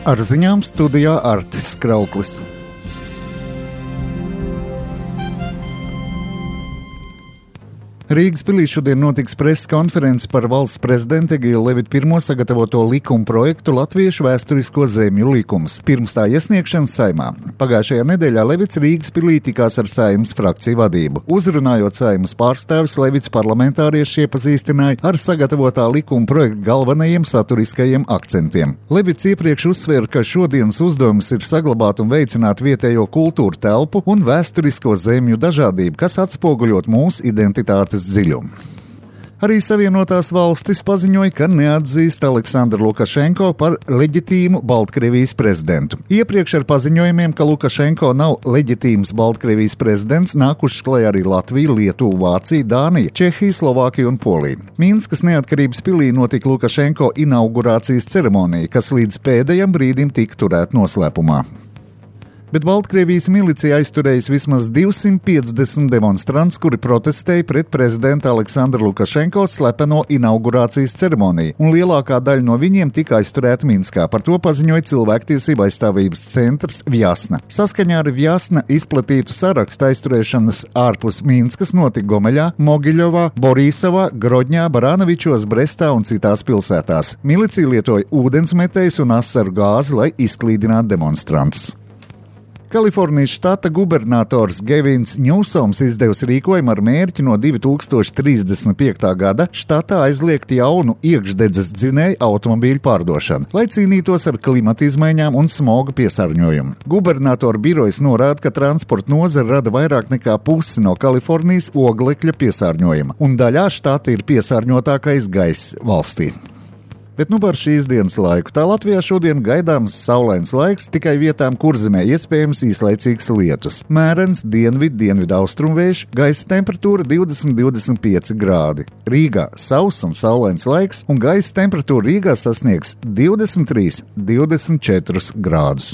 Ar ziņām studijā Artis Krauklis. Rīgas pilī šodien notiks preses konference par valsts prezidenta Egīla Levita I sagatavoto likuma projektu Latviešu vēsturisko zemju likums, pirms tā iesniegšanas Saeimā. Pagājušajā nedēļā Levits Rīgas pilī tikās ar Saeimas frakciju vadību. Uzrunājot Saeimas pārstāvis, Levits parlamentārieši iepazīstināja ar sagatavotā likuma projekta galvenajiem saturiskajiem akcentiem. Levits iepriekš uzsvēra, ka šodienas uzdevums ir saglabāt un veicināt vietējo kultūru telpu un vēsturisko zemju dažādību, kas atspoguļot mūsu identitātes dziļumu. Arī Savienotās valstis paziņoja, ka neatzīst Aleksandru Lukašenko par leģitīmu Baltkrievijas prezidentu. Iepriekš ar paziņojumiem, ka Lukašenko nav leģitīms Baltkrievijas prezidents, nākušas klajā arī Latvija, Lietuva, Vācija, Dānija, Čehija, Slovākija un Polija. Minskas neatkarības pilī notika Lukašenko inaugurācijas ceremonija, kas līdz pēdējam brīdim tika turēta noslēpumā. Bet Baltkrievijas milicija aizturējusi vismaz 250 demonstrants, kuri protestēja pret prezidenta Aleksandra Lukašenko slepeno inaugurācijas ceremoniju, un lielākā daļa no viņiem tika aizturēta Minskā. Par to paziņoja cilvēktiesība aizstāvības centrs Vjasna. Saskaņā ar Vjasna izplatītu sarakstu aizturēšanas ārpus Minskas notika Gomeļā, Mogiļovā, Borisovā, Grodņā, Baranovičos, Brestā un citās pilsētās. Milicija lietoja ūdensmetējus un asaru gāzi, lai izklīdinātu demonstrantus. Kalifornijas štata gubernators Gevins Ņūsoms izdevusi rīkojumu ar mērķi no 2035. gada štatā aizliegt jaunu iekšdedzes dzinēju automobīļu pārdošanu, lai cīnītos ar klimata izmaiņām un smoga piesārņojumu. Gubernatora birojas norāda, ka transporta nozare rada vairāk nekā pusi no Kalifornijas oglekļa piesārņojuma, un daļā štata ir piesārņotākais gaiss valstī. Bet par šīs dienas laiku. Tā Latvijā šodien gaidāms saulains laiks, tikai vietām Kurzemē iespējams īslaicīgs lietus. Mērens dienvidu-austrumvējš, gaisa temperatūra 20–25 grādi. Rīgā sauss un saulains laiks, un gaisa temperatūra Rīgā sasniegs 23–24 grādus.